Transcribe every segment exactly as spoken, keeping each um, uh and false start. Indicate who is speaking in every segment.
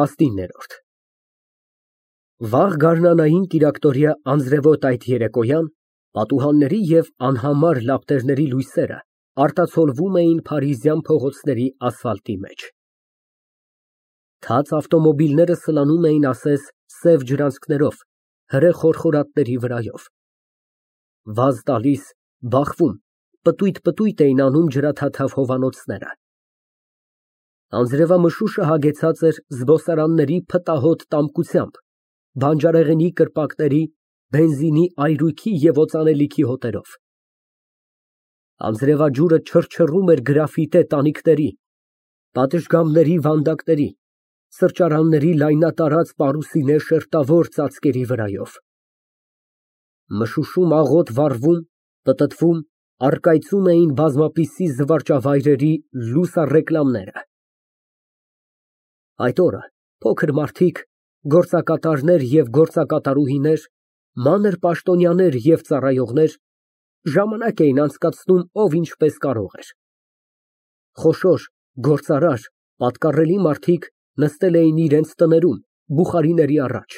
Speaker 1: ՏԱՍՆԻՆՆԵՐՈՐԴ Վաղ գարնանային կիրակտորյա անձրևոտ այդ երեկոյան պատուհանների և անհամար լապտերների լույսերը արտացոլվում էին փարիզյան փողոցների ասֆալտի մեջ։ Թաց ավտոմոբիլները սլանում էին ասես սև ջրանցքներով հրե խորխորատների վրայով, վազ տալիս, բախվում, պտույտ֊պտույտ էին անում ջրաթաթավ հովանոցները։ Անձրևամշուշը հագեցած էր զբոսարանների փտահոտ տամկությամբ, բանջարեղենի կրպակների, բենզինի այրույքի և օծանելիքի հոտերով։ Անձրևաջուրը չռչռում էր գրաֆիտե տանիքների, պատշգամբների վանդակների, սրճարանների լայնատարած պարուսինե շերտավոր ծածկերի վրայով։ Մշուշում աղոտ վառվում, պտտվում, առկայծում էին բազմապիսի զվարճավայրերի լուսառեկլամները։ Այդ օրը փոքր մարդիկ, գործակատարներ և գործակատարուհիներ, մանր պաշտոնյաներ և ծառայողներ ժամանակ էին անցկացնում ով ինչպես կարող էր։ Խոշոր, գործարար, պատկառելի մարդիկ նստել էին իրենց տներում բուխարիների առաջ։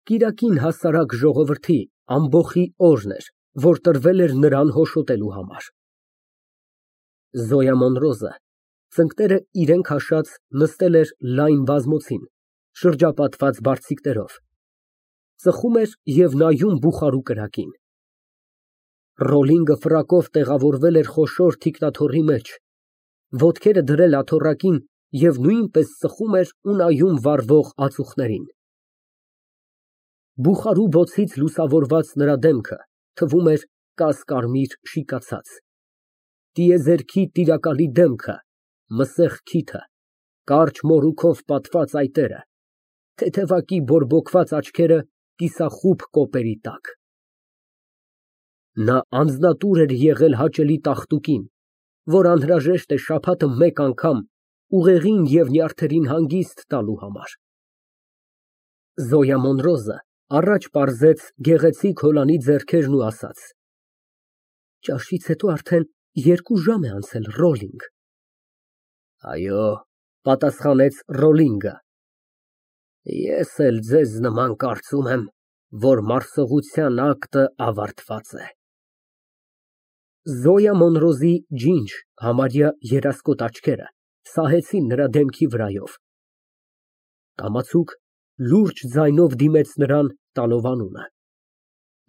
Speaker 1: Կիրակին հասարակ ժողովրդի ամբոխի օրն էր, որ տրվել էր նրան հոշոտելու համար։ Զոյա Մոնրոզը, ծնկները իրեն քաշած, նստել էր լայն բազմոցին, շրջապատված բարձիկներով, ծխում էր և նայում բուխարու կրակին։ Ռոլինգը ֆրակով տեղավորվել էր խոշոր թիկնաթոռի մեջ, ոտքերը դրել աթոռակին և նույնպես ծխում էր ու նայում վառվող ածուխներին։ Բուխարու բոցից լուսավորված նրա դեմքը թվում էր կասկարմիր շիկացած, տիեզերքի տիրակալի դեմքը, մսեղ քիթը, կարճ մորուքով պատված այտերը, թեթևակի բորբոքված աչքերը կիսախուբ կոպերի տակ։ Նա անձնատուր էր եղել հաճելի տաղտուկին, որ անհրաժեշտ է շաբաթը մեկ անգամ ուղեղին և նյարդերին հանգիստ տալու համար։ Զոյա Մոնրոզը առաջ պարզեց գեղեցիկ հոլանի ձեռքերն ու ասաց. «Ճաշից հետո արդեն երկու ժամ է անցել, Ռոլինգ»։ Այո, պատասխանեց Ռոլինգը, ես էլ ձեզ նման կարծում եմ, որ մարսողության ակտը ավարտված է։ Զոյա Մոնրոզի ջինջ, համարյա երասկոտ աչքերը սահեցին նրա դեմքի վրայով։ Կամացուկ, լուրջ ձայնով դիմեց նրան, տալով անունը։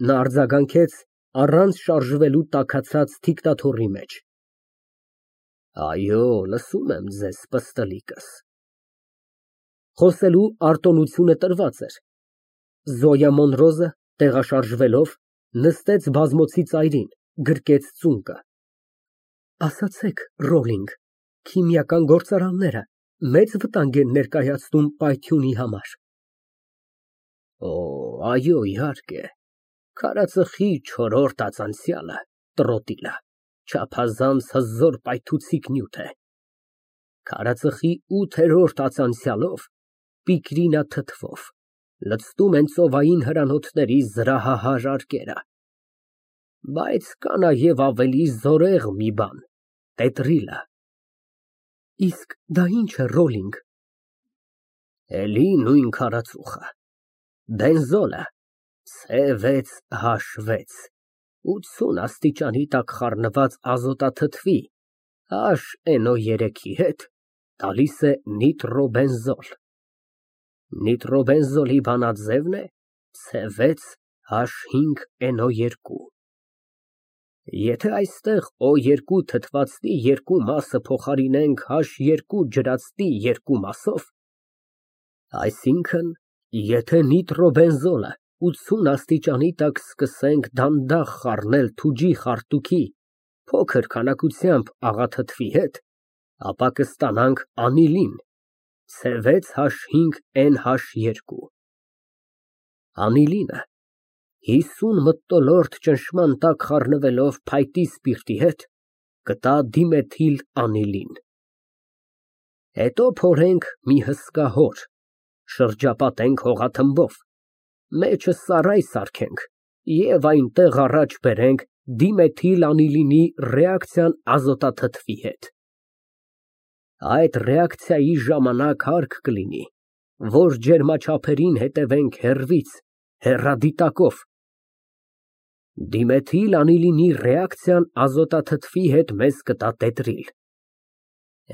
Speaker 1: Նա արձագանքեց առանց շարժվելու տաքացած թիկնաթոռի մեջ. Այո, լսում եմ ձեզ, պստլիկս։ Խոսելու արտոնությունը տրված էր։ Զոյա Մոնրոզը, տեղաշարժվելով, նստեց բազմոցի ծայրին, գրկեց ծունկը։ Ասացեք, Ռոլինգ, քիմիական գործարանները մեծ վտանգ են ներկայացնում պայթյունի համար։ Օ, այո, իհարկե, քարածխի չորրորդ ածանցյալը, տրոտիլը, չափազանց հզոր պայթուցիկ նյութ է։ Քարածխի ութերորդ ածանցյալով, պիկրինա թթվով, լցնում են ծովային հրանոթների զրահահար արկերը։ Բայց կա նաև ավելի զորեղ մի բան՝ տետրիլը։ Իսկ դա ի՞նչ է, Ռոլինգ։ Էլի նույն քարածուխը, բենզոլը, ցե վեց հաշ վեց, ութսուն աստիճանի տակ խառնված ազոտաթթվի H N O երեքի հետ տալիս է նիտրոբենզոլ։ Նիտրոբենզոլի բանաձևն է ցե վեց H ֆինգ N O two։ Եթե այստեղ O two թթվածնի երկու մասը փոխարինենք H two ջրածնի երկու մասով, այսինքն, եթե նիտրոբենզոլը ութսուն աստիճանի տակ սկսենք դանդաղ խառնել թուջի խարտուքի փոքր քանակությամբ աղաթթվի հետ, ապա կստանանք անիլին, ցե վեց H ֆինգ N H two։ Անիլինը հիսուն մթնոլորտ ճնշման տակ խառնվելով փայտի սպիրտի հետ, կտա դիմեթիլ անիլին։ Հետո փորենք մի հսկա հոր, շրջապատենք հողաթմբով, մեջը սարայ սարքենք և այնտեղ առաջ բերենք դիմեթիլ անիլինի ռեակցիան ազոտաթթվի հետ։ Այդ ռեակցիայի ժամանակ հարկ կլինի, որ ջերմաչափերին հետևենք հեռվից, հեռադիտակով։ Դիմեթիլ անիլինի ռեակցիան ազոտաթթվի հետ մեզ կտա տետրիլ։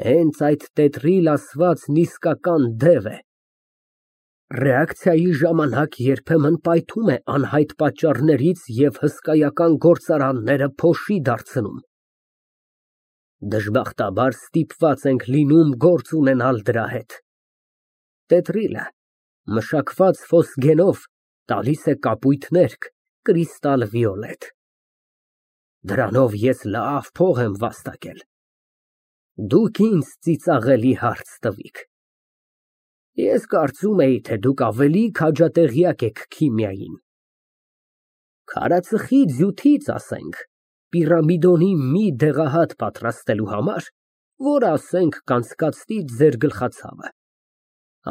Speaker 1: Հենց այդ տետրիլ ասվածն իսկական դև է։ Ռեակցիայի ժամանակ երբեմն պայթում է անհայտ պատճառներից և հսկայական գործարանները փոշի դարձնում։ Դժբախտաբար ստիպված ենք լինում գործ ունենալ դրա հետ։ Տետրիլը մշակված ֆոսգենով տալիս է կապույտ ներք, կրիստալ վիոլետ։ Դրանով ես լավ փող եմ վաստակել։ Դուք ինձ ծիծաղելի հարց տվիք։ Ես կարծում էի, թե դուք ավելի քաջատեղյակ եք քիմիային։ Քարածխի ձյութից, ասենք, պիրամիդոնի մի դեղահատ պատրաստելու համար, որ, ասենք, կանցկացնի ձեր գլխացավը,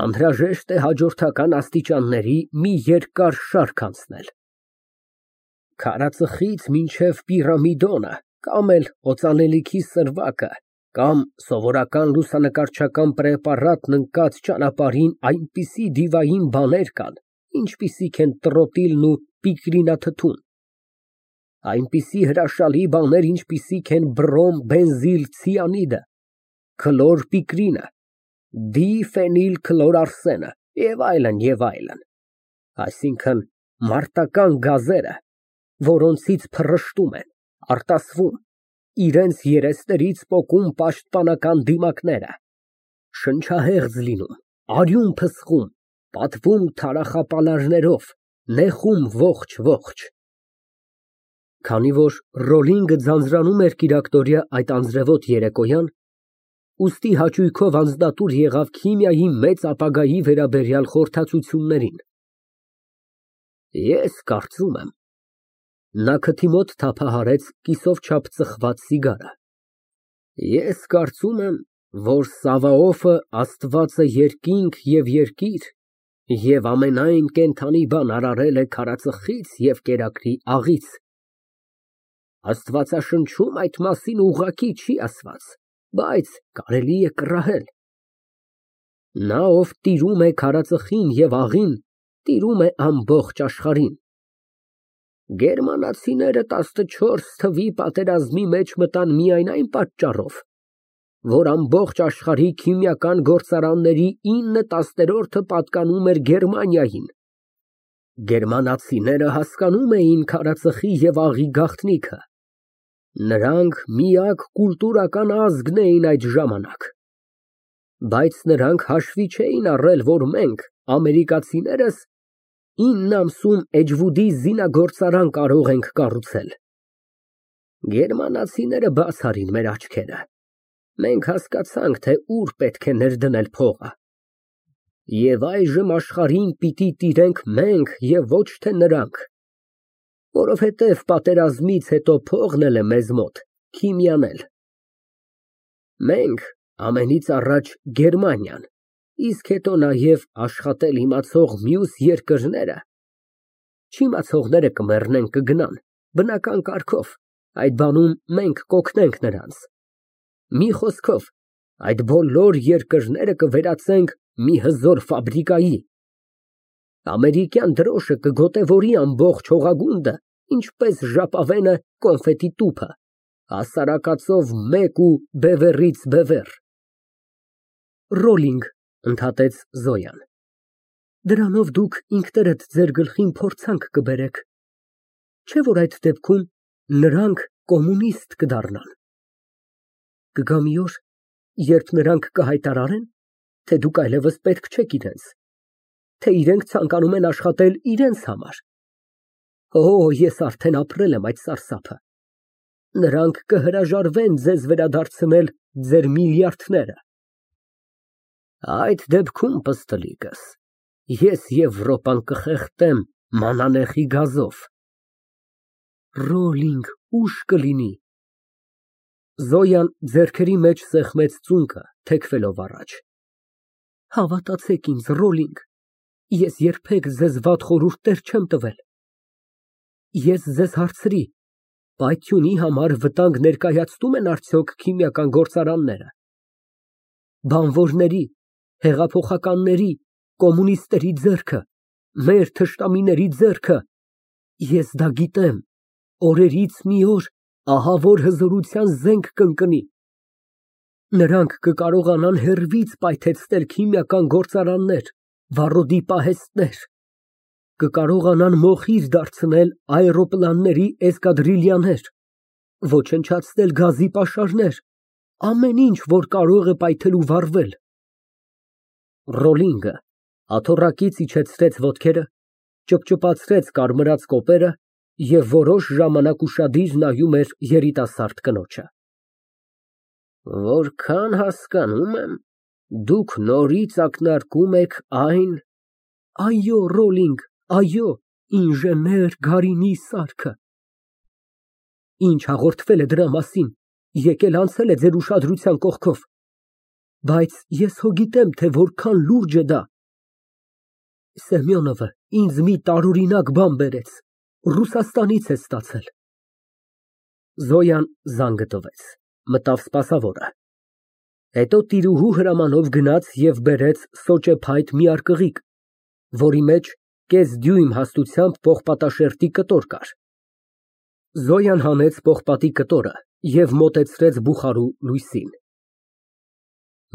Speaker 1: անհրաժեշտ է հաջորդական աստիճանների մի երկար շարք անցնել։ Քարածխից մինչև պիրամիդոնը, կամ էլ օծանելիքի սրվակը, կամ սովորական լուսանկարչական պրեպարատն ընկած ճանապարհին այնպիսի դիվային բաներ կան, ինչպիսիք են տրոտիլն ու պիկրինաթթուն, այնպիսի հրաշալի բաներ, ինչպիսիք են բրոմ բենզիլ ցիանիդը, քլոր պիկրինը, դիֆենիլ քլոր արսենը և այլն, և այլն, այսինքն մարտական գազերը, որոնցից փռշտում են, արտասվում, իրենց երեսներից պոկում պաշտպանական դիմակները, շնչահեղձ լինում, արյուն փսխում, պատվում թարախապալարներով, նեխում ողջ֊ողջ։ Քանի որ Ռոլինգը ձանձրանում էր կիրակտորյա այդ անձրևոտ երեկոյան, ուստի հաճույքով անձնատուր եղավ քիմիայի մեծ ապագայի վերաբերյալ խորհրդածություններին։ Ես կարծում եմ, նա քթի մոտ թափահարեց կիսով չափ ծխված սիգարը, ես կարծում եմ, որ Սավաոֆը աստված է երկինք և երկիր և ամենայն կենդանի բան արարել է քարածխից և կերակրի աղից։ Աստվածաշնչում այդ մասին ուղղակի չի ասված, բայց կարելի է կռահել։ Նա, ով տիրում է քարածխին և աղին, տիրում է ամբողջ աշխարհին։ Գերմանացիները տասնչորս թվի պատերազմի մեջ մտան միայն այն պատճառով, որ ամբողջ աշխարհի քիմիական գործարանների ինը տասներորդը պատկանում էր Գերմանիային։ Գերմանացիները հասկանում էին քարածխի և աղի գաղտնիքը։ Նրանք միակ կուլտուրական ազգն էին այդ ժամանակ։ Բայց նրանք հաշվի չէին առել, որ մենք, ամերիկացիներս, ինն ամսում Էջվուդի զինագործարան կարող ենք կառուցել։ Գերմանացիները բաց արին մեր աչքերը։ Մենք հասկացանք, թե ուր պետք է ներդնել փողը։ Եվ այժմ աշխարհին պիտի տիրենք մենք և ոչ թե նրանք, որովհետև պատերազմից հետո փողն էլ է մեզ մոտ, քիմիան էլ։ Մենք ամենից առաջ Գերմանիան, իսկ հետո նաև աշխատել իմացող մյուս երկրները, չիմացողները կմեռնեն, կգնան, բնական կարգով, այդ բանում մենք կօգնենք նրանց։ Մի խոսքով, այդ բոլոր երկրները կվերածենք մի հզոր ֆաբրիկայի։ Ամերիկյան դրոշը կգոտևորի ամբողջ հողագունդը, ինչպես ժապավենը կոնֆետի տուփը, հասարակածով մեկ ու բևեռից բևեռ։ Ռոլինգ, ընդհատեց Զոյան, դրանով դուք ինքներդ ձեր գլխին փորձանք կբերեք, չէ՞ որ այդ դեպքում նրանք կոմունիստ կդառնան։ Կգա մի օր, երբ նրանք կհայտարարեն, թե դուք այլևս պետք չեք իրենց, թե իրենք ցանկանում են աշխատել իրենց համար։ Օ, ես արդեն ապրել եմ այդ սարսափը։ Նրանք կհրաժարվեն ձեզ վերադարձնել ձեր միլիարդները։ Այդ դեպքում, պստլիկս, ես Եվրոպան կխեղդեմ մանանեխի գազով։ Ռոլինգ, ուշ կլինի։ Զոյան ձեռքերի մեջ սեղմեց ծունկը, թեքվելով առաջ։ Հավատացեք ինձ, Ռոլինգ, ես երբեք ձեզ վատ խորհուրդներ չեմ տվել։ Ես ձեզ հարցրի, պայթյունի համար վտանգ ներկայացնո՞ւմ են արդյոք քիմիական գործարանները։ բանվորների, հեղափոխականների, կոմունիստների ձեռքը, մեր թշնամիների ձեռքը, ես դա գիտեմ, օրերից մի օր ահավոր հզորության զենք կընկնի, նրանք կկարողանան հեռվից պայթեցնել քիմիական գործարաններ, վառոդի պահեստներ, կկարողանան մոխիր դարձնել աերոպլանների էսկադրիլյաներ, ոչնչացնել գազի պաշարներ, ամեն ինչ, որ կարող է պայթել ու վառվել։ Ռոլինգը աթոռակից իջեցրեց ոտքերը, ճպճպացրեց կարմրած կոպերը և որոշ ժամանակ ուշադիր նայում էր երիտասարդ կնոջը։ Որքան հասկանում եմ, դուք նորից ակնարկում եք այն… Այո, Ռոլինգ, այո, ինժեներ Գարինի սարքը։ Ինչ հաղորդվել է դրա մասին, եկել անցել է ձեր ուշադրության կողքով, բայց ես հո գիտեմ, թե որքան լուրջ է դա։ Սեմյոնովը ինձ մի տարօրինակ բան բերեց, Ռուսաստանից է ստացել։ Զոյան զանգը տվեց, մտավ սպասավորը։ Հետո տիրուհու հրամանով գնաց և բերեց սոճեփայտ մի արկղիկ, որի մեջ կես դյույմ հաստությամբ պողպատաշերտի կտոր կար։ Զոյան հանեց պողպատի կտորը և մոտեցրեց բուխարու լույսին։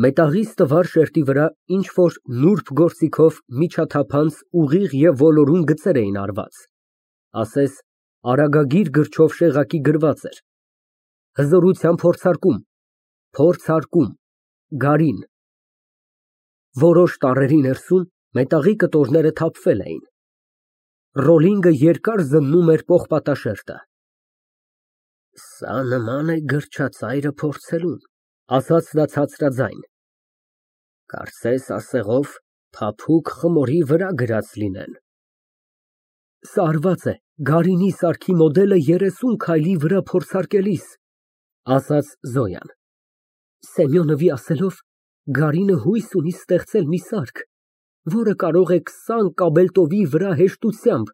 Speaker 1: Մետաղի ստվար շերտի վրա ինչ֊որ նուրբ գործիքով միջաթափանց ուղիղ և ոլորուն գծեր էին արված, ասես արագագիր գրչով շեղակի գրված էր. Հզորության փորձարկում, փորձարկում, Գարին։ Որոշ տառերի ներսում մետաղի կտորները թափվել էին։ Ռոլինգը երկար զննում էր պողպատաշերտը։ Սա նման է գրչածայրը փորձելուն, ասաց նա ցածրաձայն։ Կարծես ասեղով փափուկ խմորի վրա գրած լինեն։ Սա արված է Գարինի սարքի մոդելը երեսուն քայլի վրա փորձարկելիս, ասաց Զոյան։ Սեմյոնովի ասելով, Գարինը հույս ունի ստեղծել մի սարք, որը կարող է քսան կաբելտովի վրա հեշտությամբ,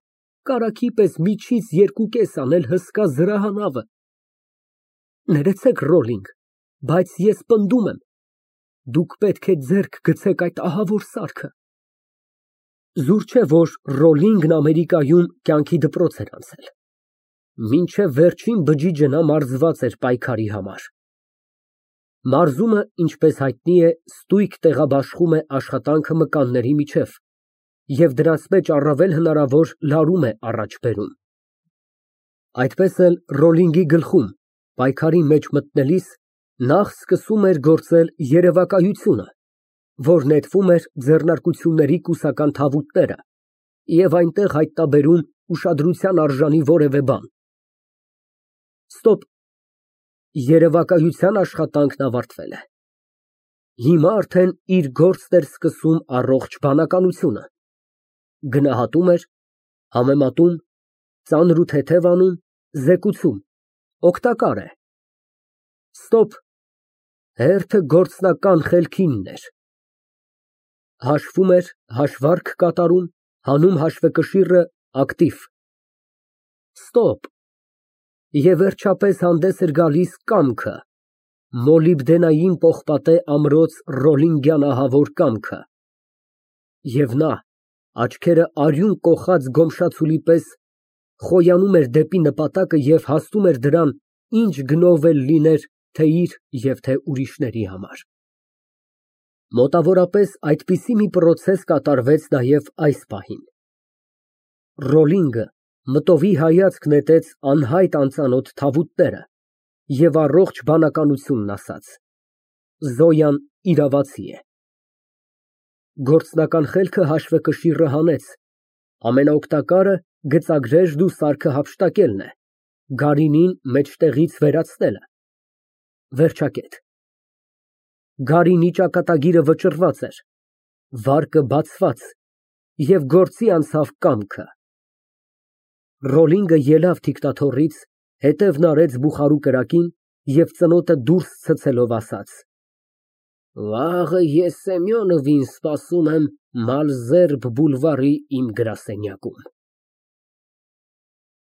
Speaker 1: կարագի պես միջից երկուկես անել հսկա զրահանավը։ Ներեցեք, Ռոլինգ, բայց ես պնդում եմ, դուք պետք է ձեռք գցեք այդ ահավոր սարքը։ Զուր չէ, որ Ռոլինգն Ամերիկայում կյանքի դպրոց էր անցել։ Մինչև վերջին բջիջը նա մարզված էր պայքարի համար։ Մարզումը, ինչպես հայտնի է, ստույգ տեղաբաշխում է աշխատանքը մկանների միջև և դրանց մեջ առավել հնարավոր լարում է առաջ բերում։ Այդպես էլ Ռոլինգի գլխում, պայքարի մեջ մտնելիս, նախ սկսում էր գործել երևակայությունը, որ նետվում էր ձեռնարկությունների կուսական թավուտները և այնտեղ հայտնաբերում ուշադրության արժանի որևէ բան։ Ստոպ, երևակայության աշխատանքն ավարտվել է։ Հիմա արդեն իր գործն էր սկսում առողջ բանականությունը։ Գնահատում էր, համեմատում, ծանր ու թեթև անում, զեկուցում, օգտակար է։ Ստոպ, հերթը գործնական խելքինն էր։ Հաշվում էր, հաշվարկ կատարում, հանում հաշվեկշիռը, ակտիվ։ Ստոպ, և վերջապես հանդես էր գալիս կամքը, մոլիբդենային պողպատե ամրոց Ռոլինգյան ահավոր կամքը։ Եվ նա, աչքերը արյուն կոխած գոմշացուլի պես, խոյանում էր դեպի նպատակը և հասնում էր դրան, ինչ գնով էլ լիներ թե իր և թե ուրիշների համար։ Մոտավորապես այդպիսի մի պրոցես կատարվեց նաև այս պահին։ Ռոլինգը մտովի հայացք նետեց անհայտ անծանոթ թավուտները և առողջ բանականությունն ասաց. Զոյան իրավացի է։ Գործնական խելքը հաշվեկշիռը հանեց, ամենաօգտակարը գծագրերն ու սարքը հափշտակելն է, Գարինին մեջտեղից վերացնելը։ Վերջակետ։ Գարինի ճակատագիրը վճռված էր, վարկը բացված, և գործի անցավ կամքը։ Ռոլինգը ելավ թիկնաթոռից, հետևն արեց բուխարու կրակին և ծնոտը դուրս ցցելով ասաց. Վաղը ես Սեմյոնովին սպասում եմ Մալզերբ բուլվարի իմ գրասենյակում։